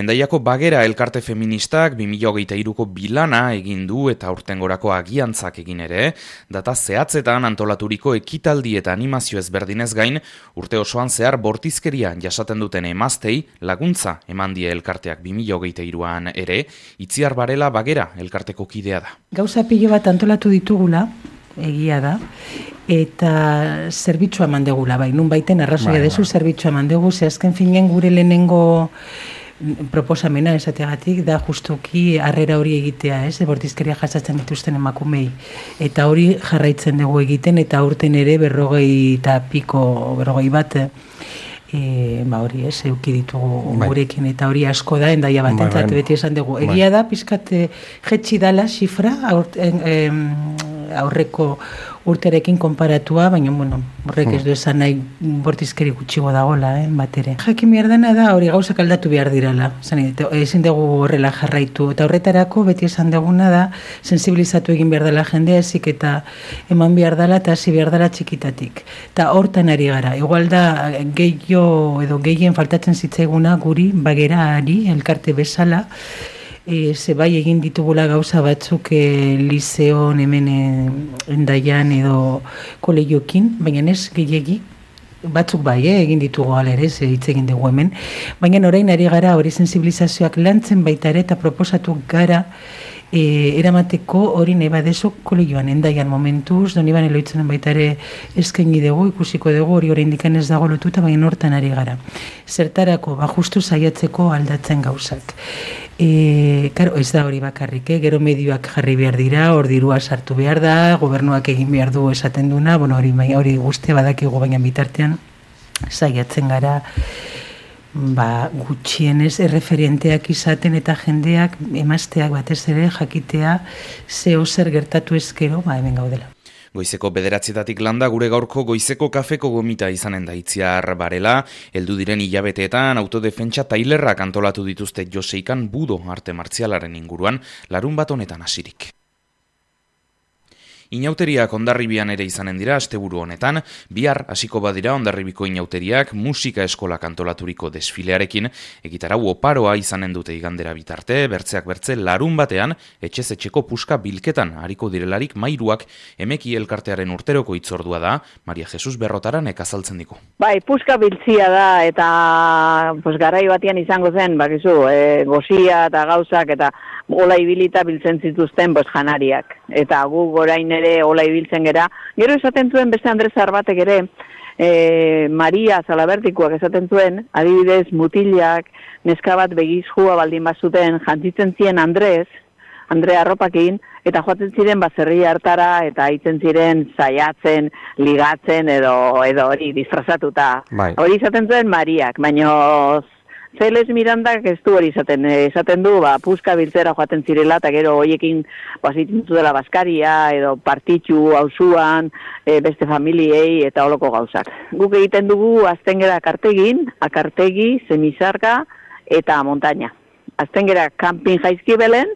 Hendaiako Bagera elkarte feministak 2023ko bilana egin du eta aurtengorako agiantzak egin ere, data zehatzetan antolaturiko ekitaldi eta animazio ezberdinez gain, urte osoan zehar bortizkeria jasaten duten emaztei laguntza eman die elkarteak 2023an ere, Itziar Barela Bagera elkarteko kidea da. Gauza pilo bat antolatu ditugula, egia da, eta zerbitzua eman degula, bai, nun baiten arrazoia dezu zerbitzua eman dugu, ze azken finen gure lehenengo proposamena esateagatik da justuki harrera hori egitea, bortizkeria jasatzen dituzten emakumei, eta hori jarraitzen dugu egiten, eta aurten ere 40 bat, hori euki ditugu gurekin, eta hori asko da, Hendaia batentzat beti esan dugu. Egia da, pizkat jetxi dala xifra, aurreko urterekin konparatua, baina, horrek ez du esan nahi bortizkeri gutxigo dagoela, bat ere. Jakin behar dena da, hori gauzak aldatu behar dirala, ezin dugu horrela jarraitu, eta horretarako beti esan duguna da, sensibilizatu egin behar dela jendea, ezik eta eman behar dela, eta hasi behar dela txikitatik. Eta hortan ari gara, igual da, gehien faltatzen zitzaiguna guri, Bagerari, elkarte bezala, ze bai egin ditugula gauza batzuk lizeon hemen Hendaian edo kolegiokin, baina ez gehiegi, batzuk bai, egin ditugu alere, hitz egin dugu hemen, baina orain ari gara hori sensibilizazioak lantzen baita ere eta proposatu gara eramateko hori nahi badezu kolegioan Hendaian momentuz, Doniban Eloitzenen baita ere eskaini dugu, ikusiko dugu hori oraindik ez dago lotuta, baina hortan ari gara. Zertarako, justu saiatzeko aldatzen gauzak. Ez da hori bakarrik, gero medioak jarri behar dira, hor dirua sartu behar da, gobernuak egin behar du esaten duna, hori guztia badakigu baina bitartean saiatzen gara, gutxienez erreferenteak izaten eta jendeak emazteak batez ere jakitea zeo zer gertatu ezkero, hemen gaudela. Goizeko 9:00 landa gure gaurko goizeko kafeko gomita izanen da Itziar Barela, heldu diren hilabeteetan autodefentsa tailerrak antolatu dituzte Joseikan budo arte martzialaren inguruan, larunbat honetan hasirik. Inauteriak Hondarribian ere izanen dira asteburu honetan, bihar hasiko badira Hondarribiko inauteriak musika eskolak antolaturiko desfilearekin, egitarau oparoa izanen dute igandera bitarte, bertzeak bertze larun batean, etxez etxeko puska bilketan hariko direlarik mairuak Emeki elkartearen urteroko hitzordua da, Maria Jesus Berrotaran azaltzen diku. Bai, puska biltzia da eta garai batean izango zen, gozia eta gauzak eta ola ibilita biltzen zituzten janariak. Eta gu gorain ere ola ibiltzen gera. Gero esaten zuen beste Andres Arbatek ere, Maria Zalabertikoak esaten zuen, adibidez mutilak, neska bat begizjua baldin bazuten jantzitzen ziren Andre arropakin, eta joaten ziren baserri hartara, eta hitzen ziren saiatzen, ligatzen, edo hori disfrazatuta. Hori izaten zuen Mariak, baina Zeles Mirandak ez du hori esaten du, puska biltzera joaten zirela, eta gero horiekin zitintu dela Baskaria, edo partitxu, auzuan, beste familiei, eta holoko gauzak. Guk egiten dugu azten gera akartegi, semizarka, eta montaña. Azten gera kanpin jaizkibelen,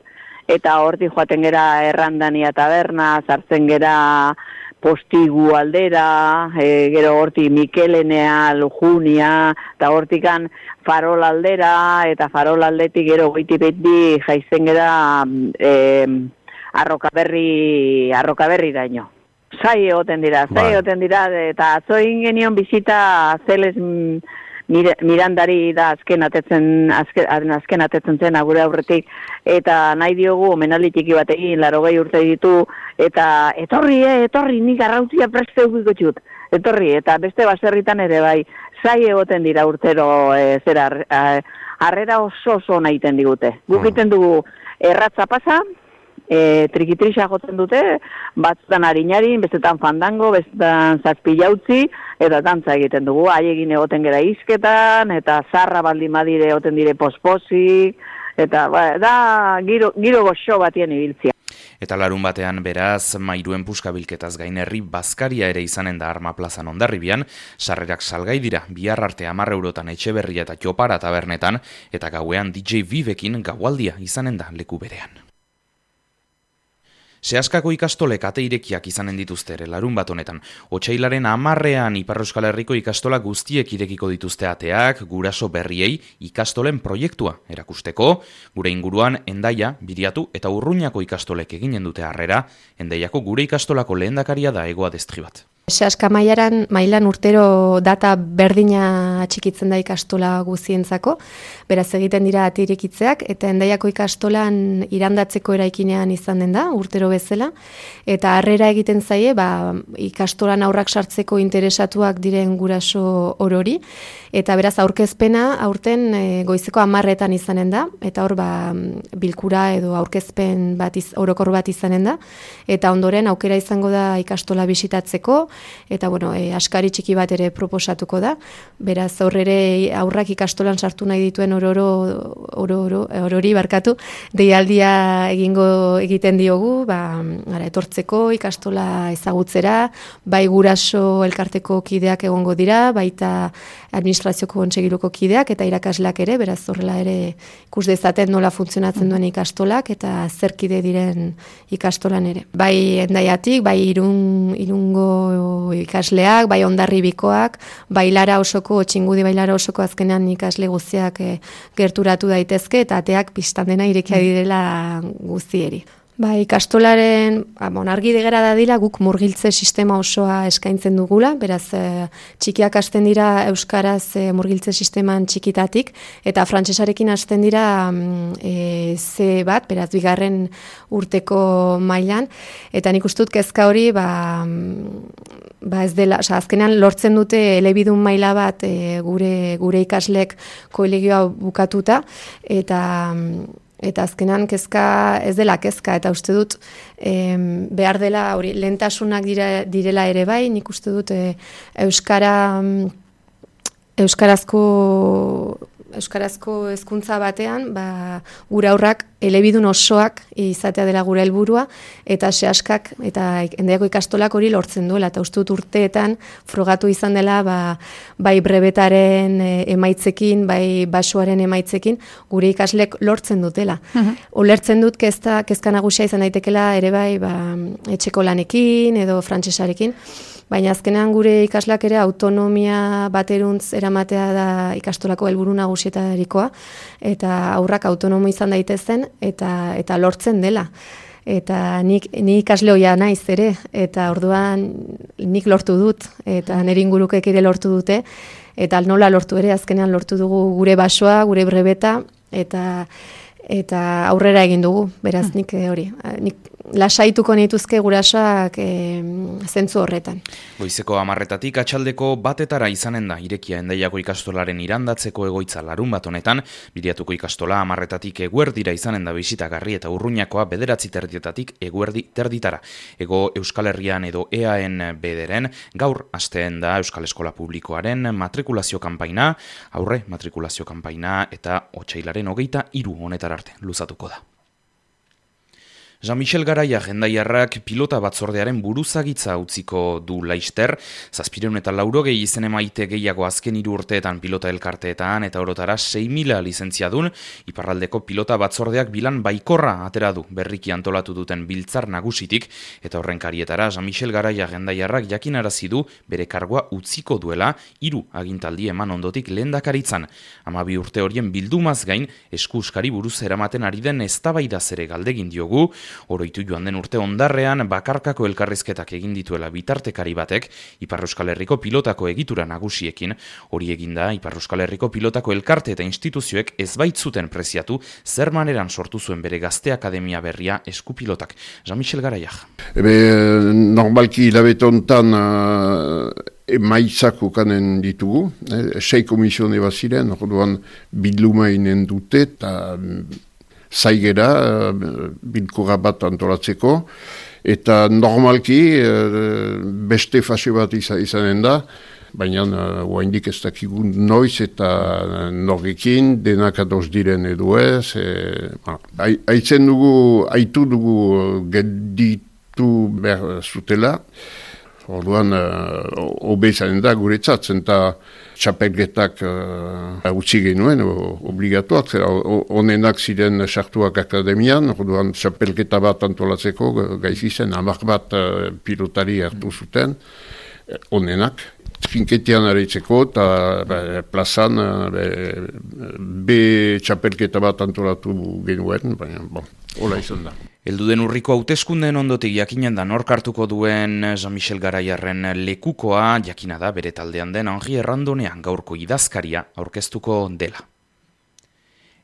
eta horti joaten gera errandania taberna, sartzen gera Postigu aldera, gero horti Mikelenea, Lujunia, eta hortikan Farol aldera, eta Farol aldetik gero goiti-beti jaizen gera arrokaberri daino. Zai egoten dira, eta atzoin genion bizita Zeles Mirandari da azken atetzen zen agure aurretik, eta nahi diogu omenaldi txiki bat egin, 80 urte ditu, eta etorri, nik arrautzia preste eukiko txut, etorri, eta beste baserritan ere bai, zai egoten dira urtero harrera oso nahi iten digute. Guk egiten dugu erratza pasa, trikitrisa jotzen dute, batzutan harinarin, bestetan fandango, bestetan zazpilautzi, eta dantza egiten dugu, haiegin egoten gera izketan, eta zarra baldin badire egoten dire pospozik, eta da giro goxo batien ibiltzia. Eta larun batean beraz, mairuen puska bilketaz gain herri Baskaria ere izanen da Arma plazan Hondarribian, sarrerak salgai dira, bihar arte 10 eurotan Etxeberria eta Txopara tabernetan, eta gauean DJ Vivekin gaualdia izanen da leku berean. Seaskako ikastolek ate irekiak izanen dituzte ere larun bat honetan. Otsailaren 10ean Ipar Euskal Herriko ikastola guztiek irekiko dituzte ateak, guraso berriei ikastolen proiektua erakusteko. Gure inguruan Hendaia, Biriatu eta Urruñako ikastolek eginen dute harrera. Hendaiako gure ikastolako lehendakaria da Ego Adestri bat. Seaska mailan urtero data berdina atxikitzen da ikastola guzientzako, beraz egiten dira ate irekitzeak, eta Hendaiako ikastolan irandatzeko eraikinean izan den da, urtero bezala, eta harrera egiten zaie, ikastolan aurrak sartzeko interesatuak diren guraso orori, eta beraz aurkezpena aurten goizeko 10etan izanen da, eta hor bilkura edo aurkezpen orokor bat izanen da, eta ondoren aukera izango da ikastola bisitatzeko, eta askari txiki bat ere proposatuko da. Beraz aurrak ikastolan sartu nahi dituen orori deialdia egiten diogu, etortzeko ikustola ezagutzera, bai guraso elkarteko kideak egongo dira, baita administrazioko kontsegiluko kideak eta irakasleak ere, beraz horrela ere ikus dezaten nola funtzionatzen duen ikastolak eta zer kide diren ikastolan ere. Bai Hendaiatik, bai Irungo ikasleak, bai Hondarribikoak, bai Lara osoko, Txingudi bai Lara osoko azkenean ikasle guztiak gerturatu daitezke eta ateak pistan dena irekia direla guztieri. Ikastolaren, argi degera dadila, guk murgiltze sistema osoa eskaintzen dugula, beraz txikiak hasten dira euskaraz murgiltze sisteman txikitatik, eta frantsesarekin hasten dira C bat, beraz bigarren urteko mailan, eta nik uste dut kezka hori, ez dela, azkenean lortzen dute elebidun maila bat gure ikaslek kolegioa bukatuta, eta azkenan kezka ez dela kezka, eta uste dut behar dela hori lehentasunak direla ere bai, nik uste dut euskarazko hezkuntza batean, gure aurrak elebidun osoak izatea dela gure helburua, eta Seaskak eta Hendaiako ikastolak hori lortzen duela, eta uste dut urteetan frogatu izan dela bai brebetaren emaitzekin, bai basoaren emaitzekin, gure ikaslek lortzen dutela. Ulertzen dut kezka nagusia izan daitekela ere bai etxeko lanekin edo frantsesarekin, baina azkenean gure ikaslak ere autonomia bateruntz eramatea da ikastolako helburu nagusietarikoa, eta aurrak autonomo izan daitezen, eta lortzen dela. Eta ni ikasle ohia naiz ere, eta orduan nik lortu dut, eta nire ingurukek ere lortu dute, eta nola lortu ere, azkenean lortu dugu gure basoa, gure brebeta, eta aurrera egin dugu, beraz nik lasaituko nituzke gurasoak zentzu horretan. Goizeko 10etatik atxaldeko 1etara izanen da irekia Hendaiako ikastolaren irandatzeko egoitza larun bat honetan, Biriatuko ikastola 10etatik eguerdira izanen da bisitagarri eta Urruñakoa 9:30 eguerdi terditara. Ego Euskal Herrian edo EAN bederen gaur hasteen da Euskal Eskola Publikoaren matrikulazio kanpaina, aurre matrikulazio kanpaina eta otsailaren 23 honetara arte luzatuko da. Jean-Michel Garaia Hendaiarrak pilota batzordearen buruzagitza utziko du laister, 780 izen emaite gehiago azken 3 urteetan pilota elkarteetan eta orotara 6.000 lizentziadun, iparraldeko pilota batzordeak bilan baikorra atera du berriki antolatu duten biltzar nagusitik, eta horren karietara Jean-Michel Garaia Hendaiarrak jakinarazi du bere kargoa utziko duela 3 agintaldi eman ondotik lehendakaritzan. 12 urte horien bildumaz gain eskuskari buruz eramaten ari den eztabaidaz ere galdegin diogu. Oroitu joan den urte ondarrean bakarkako elkarrizketak egin dituela bitartekari batek Ipar Euskal Herriko pilotako egitura nagusiekin. Hori eginda Ipar Euskal Herriko pilotako elkarte eta instituzioek ez baitzuten preziatu zer maneran sortu zuen bere gazte akademia berria eskupilotak. Jean-Michel Garaiak. Normalki hilabete hontan emaitzak ukanen ditugu, 6 komisione baziren, orduan bilduma inen dute eta zaigera bilkura bat antolatzeko, eta normalki beste fase bat izanen da, baina oraindik ez dakigu noiz eta norrekin denak ados diren edo ez. Aitu dugu gelditu behar zutela, Orduan, hobe izanen da guretzat, zenta txapelketak utzi genuen, obligatuak, zera onenak ziren sartuak akademian, orduan txapelketa bat antolatzeko gaiz izen, 10 bat pilotari hartu zuten, onenak. Trinketian areitzeko eta plazan be txapelketa bat antolatu genuen, baina hola izan da. Elduden urriko hauteskundeen ondotik jakinen da nork hartuko duen Jean-Michel Garaiarren lekukoa, jakina da bere taldean den Henri Errandonean gaurko idazkaria aurkeztuko dela.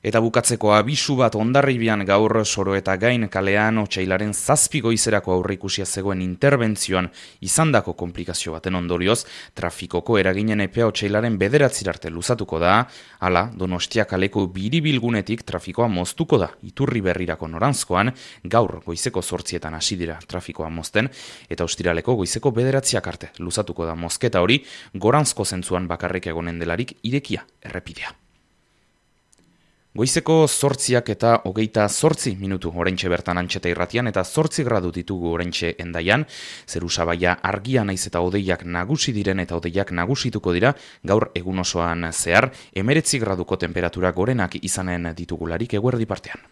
Eta bukatzeko abisu bat Hondarribian gaur Soro eta Gain kalean otsailaren 7 goizerako aurreikusia zegoen interbentzioan izandako komplikazio baten ondorioz, trafikoko eraginen epea otsailaren 9 arte luzatuko da, hala Donostia kaleko biribilgunetik trafikoa moztuko da, Iturri berrirako noranzkoan, gaur goizeko 8 hasi dira trafikoa mozten, eta ostiraleko goizeko 9 arte luzatuko da mozketa hori, goranzko zentzuan bakarrik egonen delarik irekia errepidea. Goizeko 8 eta 28 minutu oraintxe bertan Antxeta irratian eta 8 gradu ditugu oraintxe Hendaian, zeru sabaia argia naiz eta hodeiak nagusi diren eta hodeiak nagusituko dira gaur egun osoan zehar 19 graduko temperatura gorenak izanen ditugularik eguerdi partean.